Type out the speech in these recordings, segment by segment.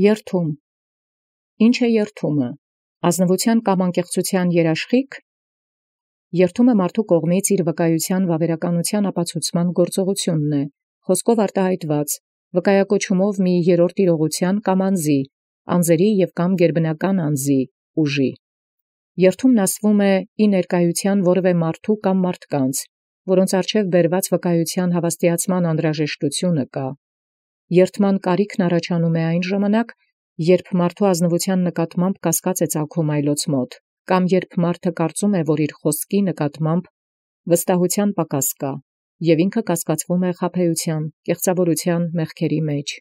Երթում։ Ինչ է երթումը։ Ազնվության կամ անկեղծության երաշխիք։ Երթումը մարդու կողմից իր վկայության վավերականության ապացուցման գործողությունն է, խոսքով արտահայտված, վկայակոչումով մի երրորդ իրողության կամ անձի, անձերի և կամ գերբնական անձի, ուժի։ Երթումն ասվում է ի ներկայության որևէ մարդու կամ մարդկանց, որոնց առջև բերված վկայության հավաստիացման անհրաժեշտությունը կա։ Երթման կարիքն առաջանում է այն ժամանակ, երբ մարդու ազնվության նկատմամբ կասկած է ծագում այլոց մոտ, կամ երբ մարդը կարծում է, որ իր խոսքի նկատմամբ վստահության պակաս կա, և ինքը կասկածվում է խաբեության, կեղծավորության մեղքերի մեջ։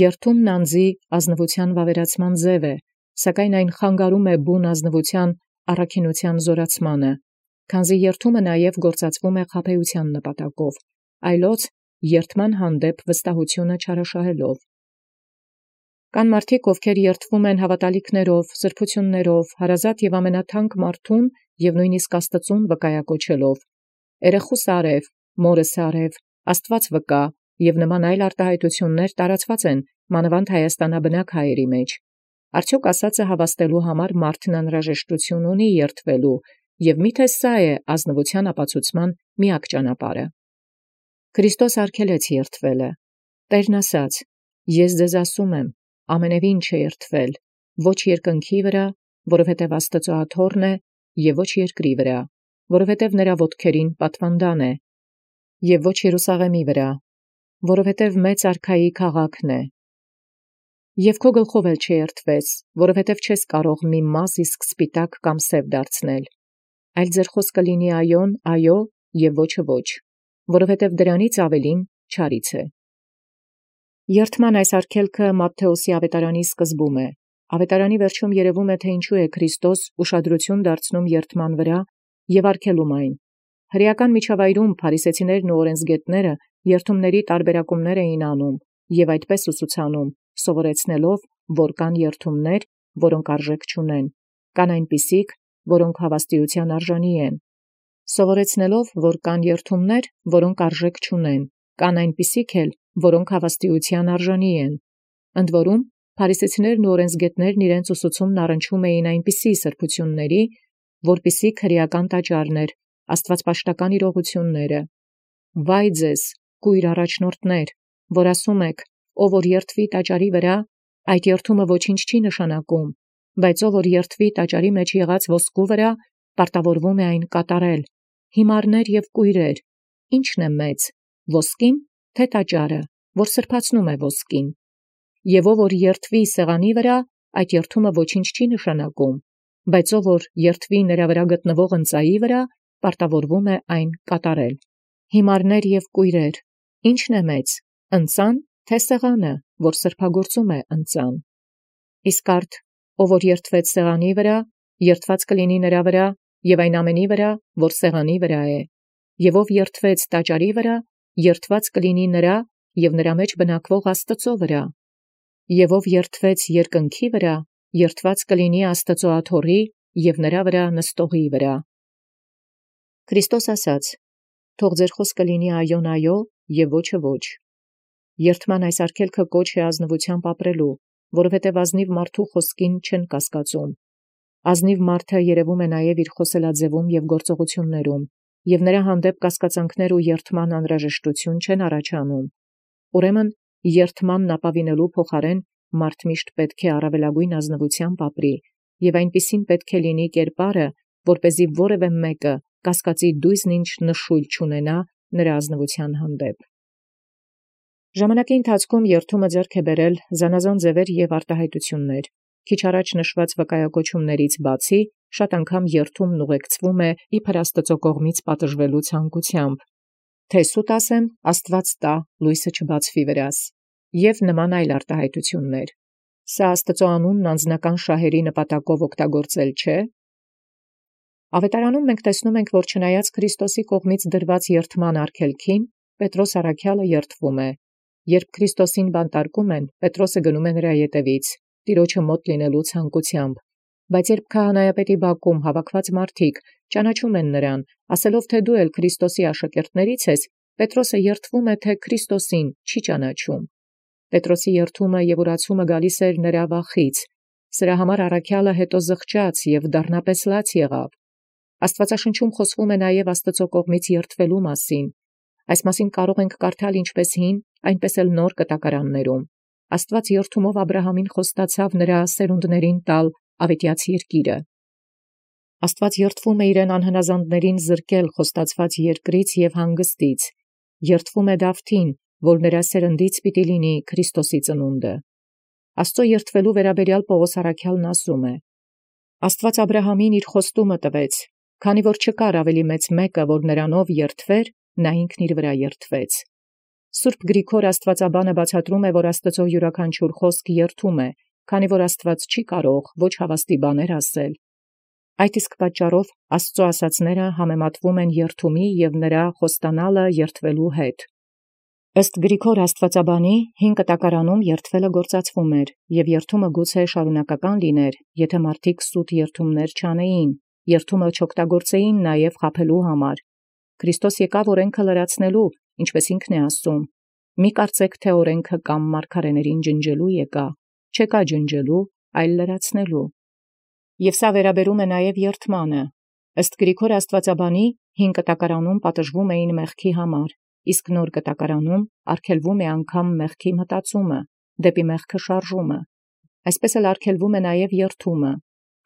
Երթումն անձի ազնվության վավերացման ձև է, սակայն այն խանգարում է բուն ազնվության առաքինության զորացմանը, քանզի երթումը նաև գործածվում է խաբեության նպատակով, այլոց երթման հանդեպ վստահությունը չարաշահելով։ Կան մարդիկ, ովքեր երթվում են հավատալիքներով, սրբություններով, հարազատ և ամենաթանկ մարդուն և նույնիսկ Աստծուն վկայակոչելով. «Երեխուս արև, մորս արև, Աստված վկա» և նման այլ արտահայտություններ տարածված են մանավանդ հայաստանաբնակ հայերի մեջ։ Արդյոք ասածը հավաստելու համար մարդն անհրաժեշտություն ունի երթվելու, և միթե սա է ազնվության ապացուցման միակ ճանապարհը։ Քրիստոս արգելեց երթվելը։ Տերն ասաց. «Ես ձեզ ասում եմ, ամենևին չերթվել, ոչ երկնքի վրա, որովհետև Աստծո աթոռն է, և ոչ երկրի վրա, որովհետև նրա ոտքերին պատվանդան է, և ոչ Երուսաղեմի վրա, որովհետև մեծ արքայի քաղաքն է։ Եվ քո գլխով էլ չերթվես, որովհետև չես կարող մի մազ իսկ սպիտակ կամ սև դարձնել, այլ ձեր խոսքը լինի այոն, այո, և ոչը ոչ, որովհետև դրանից ավելին չարից է»։ Երթման այս արգելքը Մատթեոսի ավետարանի սկզբում է։ Ավետարանի վերջում երևում է, թե ինչու է Քրիստոս ուշադրություն դարձնում երթման վրա և արգելում այն։ Հրեական միջավայրում փարիսեցիներն ու օրենսգետները երթումների տարբերակումներ էին անում և այդպես ուսուցանում, սովորեցնելով, որ կան երթումներ, որոնք արժեք չունեն, կան այնպիսիք, որոնք հավաստիության արժանի են, սովորեցնելով, որ կան երթումներ, որոնք արժեք չունեն, կան այնպիսիք էլ, որոնք հավաստիության արժանի են։ Ընդ որում, փարիսեցիներն ու օրենսգետներն իրենց ուսուցումն առնչում էին այնպիսի սրբությունների, որպիսի քրեական տաճարներ, աստվածպաշտական իրողությունները։ Վայ ձեզ, կույր առաջնորդներ, որ ասում եք, ով որ երթվի տաճարի վրա, այդ երթումը ոչինչ չի նշանակում, բայց ով որ երթվի տաճարի մեջ եղած ոսկու վրա, պարտավորվում է այն կատարել։ Հիմարներ և կույրեր, ի՞նչն է մեծ, ոսկին, թե տաճարը, որ սրբացնում է ոսկին։ Եվ ով որ երթվի սեղանի վրա, այդ երթումը ոչինչ չի նշանակում, բայց ով որ երթվի նրա վրա գտնվող ընծայի վրա, պարտավորվում է այն կատարել։ Հիմարներ և կույրեր, ի՞նչն է մեծ, ընծան, թե սեղանը, որ սրբագործում է ընծան։ Իսկ արդ ով որ երթվեց սեղանի վրա, երթված կլինի նրա վրա և այն ամենի վրա, որ սեղանի վրա է, և ով երթվեց տաճարի վրա, երթված կլինի նրա և նրա մեջ բնակվող Աստծո վրա, և ով երթվեց երկնքի վրա, երթված կլինի Աստծո աթոռի և նրա վրա նստողի վրա։ Քրիստոս ասաց. «Թող ձեր խոսքը լինի այոն, այո, և ոչը ոչ»։ Երթման այս արգելքը կոչ է ազնվությամբ ապրելու, որովհետև ազնիվ մարդու խոսքին չեն կասկածում։ Ազնիվ մարդը երևում է նաև իր խոսելաձևում և գործողություններում, և նրա հանդեպ կասկածանքներ ու երթման անհրաժեշտություն չեն առաջանում։ Ուրեմն երթմանն ապավինելու փոխարեն մարդ միշտ պետք է առավելագույն ազնվությամբ ապրի, և այնպիսին պետք է լինի կերպարը, որպեսզի որևէ մեկը կասկածի դույզն ինչ նշույլ չունենա նրա ազնվության հանդեպ։ Ժամանակի ընթացքում երթումը ձեռք է բերել զանազան ձևեր և արտահայտություններ։ Քիչ առաջ նշված վկայակոչումներից բացի, շատ անգամ երթումն ուղեկցվում է իբր Աստծո կողմից պատժվելու ցանկությամբ, թե սուտ ասեմ, Աստված տա, լույսը չբացվի վրաս, և նման այլ արտահայտություններ։ Սա Աստծո անունն անձնական շահերի նպատակով օգտագործել չէ։ Ավետարանում մենք տեսնում ենք, որ չնայած Քրիստոսի կողմից դրված երթման արգելքին, Պետրոս առաքյալը երթվում է։ Երբ Քրիստոսին բանտարկում են, Պետրոսը գնում է նրա ետևից, տիրոջը մոտ լինելու ցանկությամբ, բայց երբ քահանայապետի բակում հավաքված մարդիկ ճանաչում են նրան, ասելով, թե դու էլ Քրիստոսի աշակերտներից ես, Պետրոսը երթվում է, թե Քրիստոսին չի ճանաչում։ Պետրոսի երթումը և ուրացումը գալիս էր նրա վախից, սրա համար առաքյալը հետո զղջաց և դառնապես լաց եղավ։ Աստվածաշնչում խոսվում է նաև Աստծո կողմից երթվելու մասին։ Այս մասին կարող ենք կարդալ ինչպես հին, այնպես էլ նոր կտակարաններում։ Աստված երթումով Աբրահամին խոստացավ նրա սերունդներին տալ ավետյաց երկիրը։ Աստված երթվում է իրեն անհնազանդներին զրկել խոստացված երկրից և հանգստից, երթվում է Դավթին, որ նրա սերնդից պիտի լինի Քրիստոսի ծնունդը։ Աստծո երթվելու վերաբերյալ Պողոս առաքյալն ասում է. Աստված Աբրահամին իր խոստումը տվեց, քանի որ չկար ավելի մեծ մեկը, որ նրանով երթվեր, նա ինքն իր վրա երթվեց։ Սուրբ Գրիգոր Աստվածաբանը բացատրում է, որ Աստծո յուրաքանչյուր խոսք երթում է, քանի որ Աստված չի կարող ոչ հավաստի բաներ ասել։ Այդ իսկ պատճառով Աստծո ասացները համեմատվում են երթումի և նրա խոստանալը երթվելու հետ։ Ըստ Գրիգոր Աստվածաբանի հին կտակարանում երթվելը գործածվում էր, և երթումը գուցե շարունակական լիներ, եթե մարդիկ սուտ երթումներ չանեին, երթումը չօգտագործեին նաև խաբելու համար։ Քրիստոս եկավ օրենքը լրացնելու, ինչպես ինքն է ասում. «Մի կարծեք, թե օրենքը կամ մարգարեներին ջնջելու եկա, չեկա ջնջելու, այլ լրացնելու»։ Եվ սա վերաբերում է նաև երթմանը։ Ըստ Գրիգոր Աստվածաբանի հին կտակարանում պատժվում էին մեղքի համար, իսկ նոր կտակարանում արգելվում է անգամ մեղքի մտածումը, դեպի մեղքը շարժումը։ Այսպես էլ արգելվում է նաև երթումը։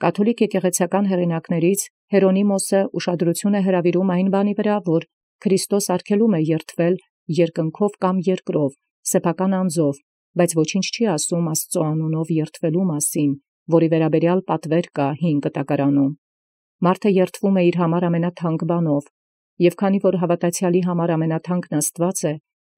Կաթոլիկ եկեղեցական հեղինակներից Հերոնիմոսը ուշադրություն է հրավիրում այն բանի վրա, որ Քրիստոս արգելում է երթվել երկնքով կամ երկրով, սեփական անձով, բայց ոչինչ չի ասում Աստծո անունով երթվելու մասին, որի վերաբերյալ պատվեր կա հին կտակարանում։ Մարդը երթվում է իր համար ամենաթանկ բանով, և քանի որ հավատացյալի համար ամենաթանկն Աստված է,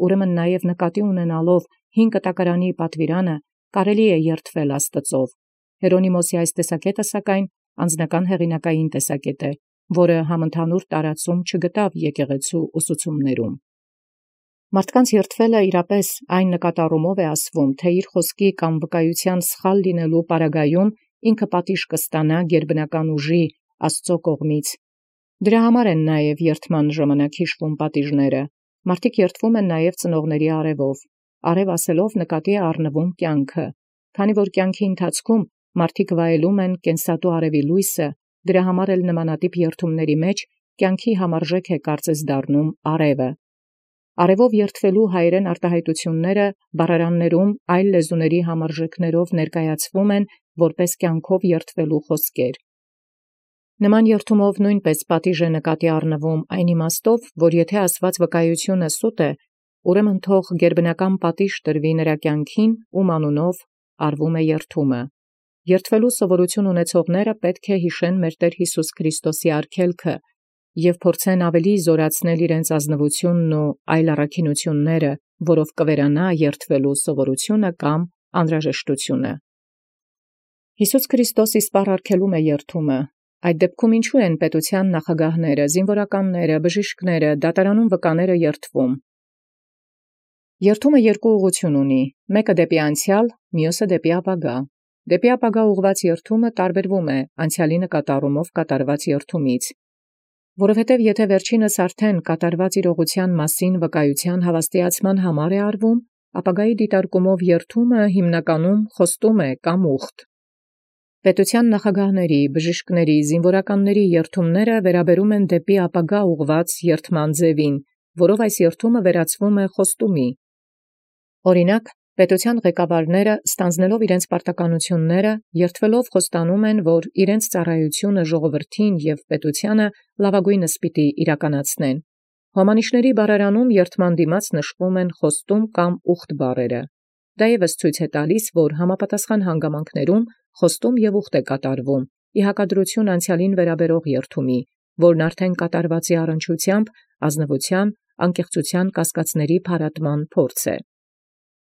ուրեմն նաև նկատի ունենալով հին կտակարանի պատվիրանը, կարելի է երթվել Աստծով։ Հերոնիմոսի այս տեսակետը, սակայն, անձնական հեղինակային տեսակետ է, որը համընդհանուր տարածում չգտավ եկեղեցու ուսուցումներում։ Մարդկանց երթվելը իրապես այն նկատառումով է ասվում, թե իր խոսքի կամ վկայության սխալ լինելու պարագայում ինքը պատիժ կստանա գերբնական ուժի Աստծո կողմից։ Դրա համար են նաև երթման ժամանակ հիշվում պատիժները։ Մարդիկ երթվում են նաև ծնողների արևով։ Արև ասելով նկատի է առնվում կյանքը։ Քանի որ կյանքի ընթացքում մարդիկ վայելում են կենսատու արևի լույսը, դրա համար էլ նմանատիպ երթումների մեջ կյանքի համարժեք է կարծես դառնում արևը։ Արևով երթվելու հայերեն արտահայտությունները բառարաններում այլ լեզուների համարժեքներով ներկայացվում են որպես կյանքով երթվելու խոսքեր։ Նման երթումով նույնպես պատիժ է նկատի առնվում այն իմաստով, որ եթե ասված վկայությունը սուտ է, ուրեմն թող գերբնական պատիժ տրվի նրա կյանքին, ում անունով արվում է երթումը։ Երթվելու սովորություն ունեցողները պետք է հիշեն մեր Տեր Հիսուս Քրիստոսի արգելքը և փորձեն ավելի զորացնել իրենց ազնվությունն ու այլ առաքինությունները, որով կվերանա երթվելու սովորությունը կամ անհրաժեշտությունը։ Հիսուս Քրիստոս իսպառ արգելում է երթումը։ Այդ դեպքում ինչու են պետության նախագահները, զինվորականները, բժիշկները, դատարանում վկաները երթվում։ Երթումը երկու ուղղություն ունի, մեկը դեպի անցյալ, մյուսը դեպի ապագա։ Դեպի ապագա ուղղված երթումը տարբերվում է անցյալի նկատառումով կատարված երթումից, որովհետև եթե վերջինս արդեն կատարված իրողության մասին վկայության հավաստիացման համար է արվում, ապագայի դիտարկումով երթումը հիմնականում խոստում է կամ ուխտ։ Պետության նախագահների, բժիշկների, զինվորականների երթումները վերաբերում են դեպի ապագա ուղղված երթման ձևին, որով այս երթումը վերածվում է խոստումի։ Օրինակ, պետության ղեկավարները, ստանձնելով իրենց պարտականությունները, երթվելով խոստանում են, որ իրենց ծառայությունը ժողովրդին և պետությանը լավագույնս պիտի իրականացնեն։ Հոմանիշների բառարանում երթման դիմաց նշվում են խոստում կամ ուխտ բառերը։ Դա ևս ցույց է տալիս, որ համապատասխան հանգամանքներում խոստում և ուխտ է կատարվում, ի հակադրություն անցյալին վերաբերող երթումի, որն արդեն կատարվածի առնչությամբ ազնվության, անկեղծության կասկածների փարատման փորձ է։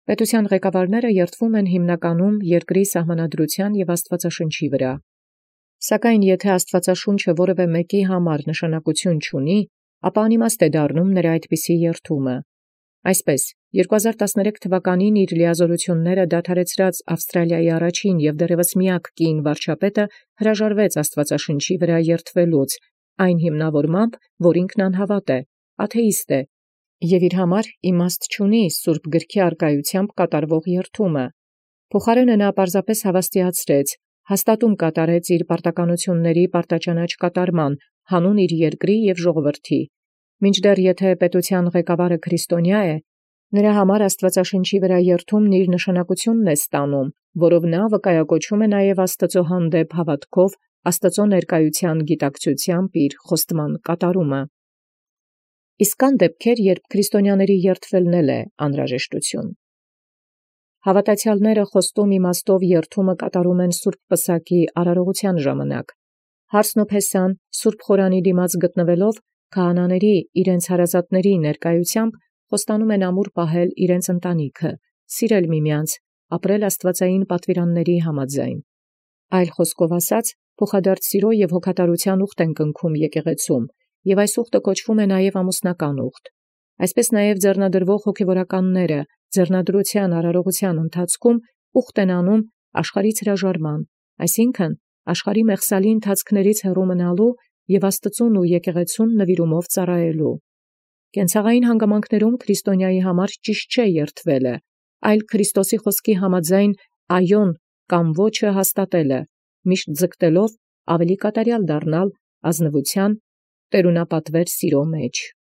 Պետության ղեկավարները երթվում են հիմնականում երկրի սահմանադրության և Աստվածաշնչի վրա։ Սակայն եթե Աստվածաշունչը որևէ մեկի համար նշանակություն չունի, ապա անիմաստ է դառնում նրա այդպիսի երթումը։ Այսպես, 2013 թվականին իր լիազորությունները դադարեցրած Ավստրալիայի առաջին և դեռևս միակ կին վարչապետը հրաժարվեց Աստվածաշնչի վրա երթվելուց, այն հիմնավորմամբ, որ ինքն անհավատ է, աթեիստ է, Եւ իր համար իմաստ չունի սուրբ գրքի արկայությամբ կատարվող երթումը։ Փոխարենը նա պարզապես հավաստիացրեց, հաստատում կատարեց իր պարտականությունների պարտաճանաչ կատարման, հանուն իր երկրի եւ ժողովրդի։ Մինչդեռ եթե պետության ղեկավարը քրիստոնյա է, նրա համար Աստուածաշնչի վրա երթումն իր նշանակությունն է ստանում, որով նա վկայակոչում է նաև Աստծո հանդեպ հավատքով Աստծո ներկայության գիտակցությամբ իր խոստման կատարումը։ Իսկ կան դեպքեր, երբ քրիստոնյաների երթվելն է անհրաժեշտություն։ Հավատացյալները խոստում իմաստով երթումը կատարում են Սուրբ Պսակի արարողության ժամանակ։ Հարսն ու Փեսան Սուրբ Խորանի դիմաց գտնվելով քահանաների իրենց հարազատների ներկայությամբ խոստանում են ամուր պահել իրենց ընտանիքը, սիրել միմյանց, ապրել աստվածային պատվիրանների համաձայն։ Այլ խոսքով ասած, փոխադարձ սիրո եւ հոգատարության ուխտ են կնքում եկեղեցում, եւ այս ուխտը կոչվում է նաև ամուսնական ուխտ։ Այսպես նաև ձեռնադրվող հոգևորականները ձեռնադրության արարողության ընթացքում ուխտ են անում աշխարհից հրաժարման, այսինքն աշխարհի մեղսալի ընթացքներից հեռու մնալու եւ Աստծուն ու եկեղեցուն նվիրումով ծառայելու։ Կենցաղային հանգամանքներում քրիստոնյայի համար ճիշտ չէ երթվելը, այլ Քրիստոսի խոսքի համաձայն այոն կամ ոչը հաստատելը, միշտ ձգտելով ավելի կատարյալ դառնալ ազնվության տերունապատվեր սիրո մեջ։